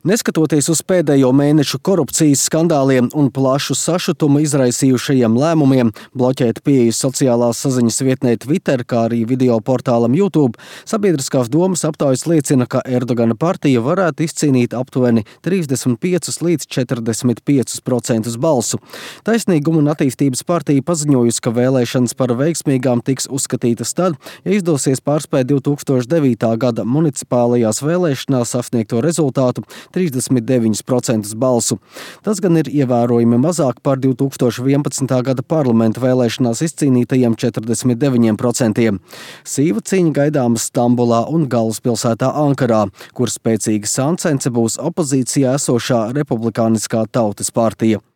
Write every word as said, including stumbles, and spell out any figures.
Neskatoties uz pēdējo mēnešu korupcijas skandāliem un plašu sašutumu izraisījušajiem lēmumiem bloķēt pieeju sociālās saziņas vietnē Twitter, kā arī video portālam YouTube, sabiedriskās domas aptaujas liecina, ka Erdogana partija varētu izcīnīt aptuveni trīsdesmit piecus līdz četrdesmit piecus procentus balsu. Taisnīguma un attīstības partija paziņojusi, ka vēlēšanas par veiksmīgām tiks uzskatītas tad, ja izdosies pārspēt divi tūkstoši devītā gada municipālajās vēlēšanās sasniegto rezultātu trīsdesmit deviņus procentus balsu. Tas gan ir ievērojami mazāk par divi tūkstoši vienpadsmitā gada parlamenta vēlēšanās izcīnītajiem četrdesmit deviņiem procentiem. Sīva cīņa gaidāma Stambulā un galvaspilsētā Ankarā, kur spēcīga sāncence būs opozīcijā esošā Republikāniskā tautas partija.